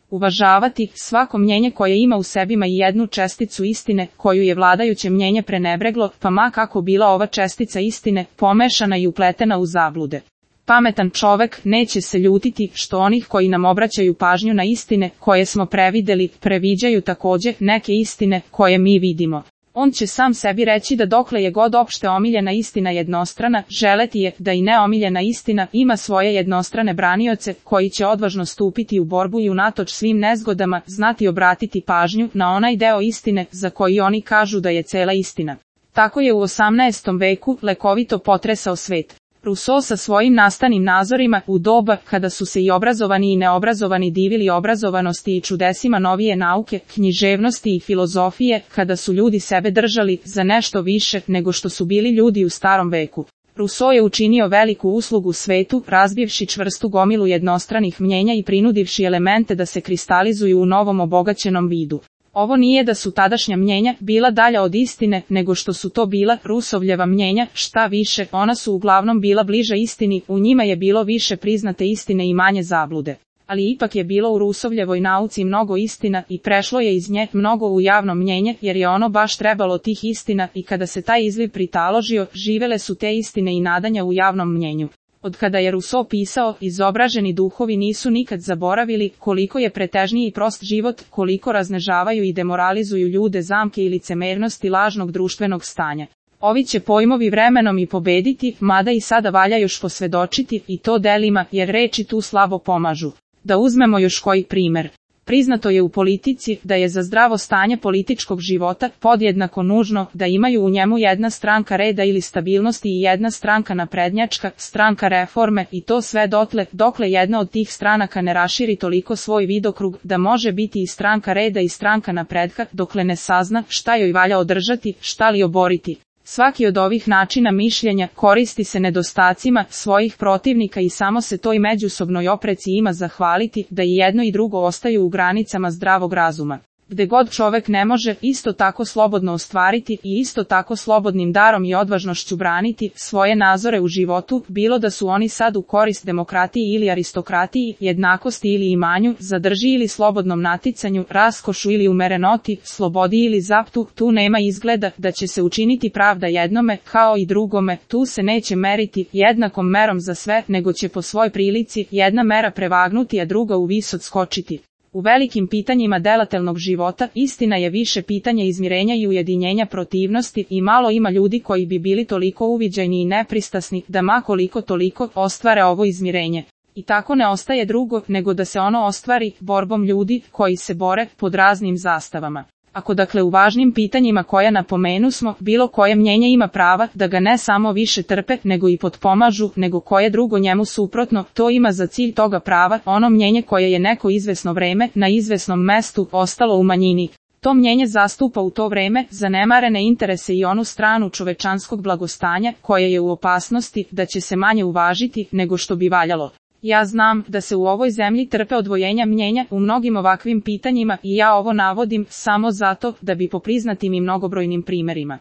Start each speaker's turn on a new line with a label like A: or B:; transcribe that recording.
A: Uvažavati svako mnjenje koje ima u sebima i jednu česticu istine, koju je vladajuće mnjenje prenebreglo, pa ma kako bila ova čestica istine, pomešana i upletena u zablude. Pametan čovek neće se ljutiti što onih koji nam obraćaju pažnju na istine, koje smo prevideli, previđaju takođe neke istine, koje mi vidimo. On će sam sebi reći da dokle je god opšte omiljena istina jednostrana, želeti je da i neomiljena istina ima svoje jednostrane branioce, koji će odvažno stupiti u borbu i unatoč svim nezgodama znati obratiti pažnju na onaj deo istine za koji oni kažu da je cela istina. Tako je u 18. veku lekovito potresao svet. Rousseau sa svojim nastanim nazorima u doba kada su se i obrazovani i neobrazovani divili obrazovanosti i čudesima novije nauke, književnosti i filozofije, kada su ljudi sebe držali za nešto više nego što su bili ljudi u starom veku. Rousseau je učinio veliku uslugu svetu, razbivši čvrstu gomilu jednostranih mnjenja i prinudivši elemente da se kristalizuju u novom obogaćenom vidu. Ovo nije da su tadašnja mnjenja bila dalja od istine, nego što su to bila Rousseauljeva mnjenja, šta više, ona su uglavnom bila bliža istini, u njima je bilo više priznate istine i manje zablude. Ali ipak je bilo u Rousseauljevoj nauci mnogo istina i prešlo je iz nje mnogo u javno mnjenje, jer je ono baš trebalo tih istina i kada se taj izliv pritaložio, živele su te istine i nadanja u javnom mnjenju. Od kada je Rousseau pisao, izobraženi duhovi nisu nikad zaboravili koliko je pretežniji i prost život, koliko raznežavaju i demoralizuju ljude zamke i licemernosti lažnog društvenog stanja. Ovi će pojmovi vremenom i pobediti, mada i sada valja još posvedočiti, i to delima, jer reči tu slabo pomažu. Da uzmemo još koji primer. Priznato je u politici da je za zdravo stanje političkog života podjednako nužno da imaju u njemu jedna stranka reda ili stabilnosti i jedna stranka naprednjačka, stranka reforme, i to sve dokle jedna od tih stranaka ne raširi toliko svoj vidokrug da može biti i stranka reda i stranka napretka, dokle ne sazna šta joj valja održati, šta li oboriti. Svaki od ovih načina mišljenja koristi se nedostacima svojih protivnika i samo se toj međusobnoj opreci ima zahvaliti da i jedno i drugo ostaju u granicama zdravog razuma. Gde god čovek ne može isto tako slobodno ostvariti i isto tako slobodnim darom i odvažnošću braniti svoje nazore u životu, bilo da su oni sad u korist demokratiji ili aristokratiji, jednakosti ili imanju, zadrži ili slobodnom naticanju, raskošu ili umerenoti, slobodi ili zaptu, tu nema izgleda da će se učiniti pravda jednome kao i drugome, tu se neće meriti jednakom merom za sve, nego će po svoj prilici jedna mera prevagnuti a druga u vis odskočiti. U velikim pitanjima delatelnog života istina je više pitanje izmirenja i ujedinjenja protivnosti i malo ima ljudi koji bi bili toliko uviđajni i nepristasni da ma koliko toliko ostvare ovo izmirenje. I tako ne ostaje drugo nego da se ono ostvari borbom ljudi koji se bore pod raznim zastavama. Ako dakle u važnim pitanjima koja napomenusmo, bilo koje mnjenje ima prava da ga ne samo više trpe, nego i potpomažu, nego koje drugo njemu suprotno, to ima za cilj toga prava ono mnjenje koje je neko izvesno vreme, na izvesnom mestu, ostalo u manjini. To mnjenje zastupa u to vreme zanemarene interese i onu stranu čovečanskog blagostanja, koja je u opasnosti da će se manje uvažiti nego što bi valjalo. Ja znam da se u ovoj zemlji trpe odvojenja mnjenja u mnogim ovakvim pitanjima i ja ovo navodim samo zato da bi po priznatim i mnogobrojnim primerima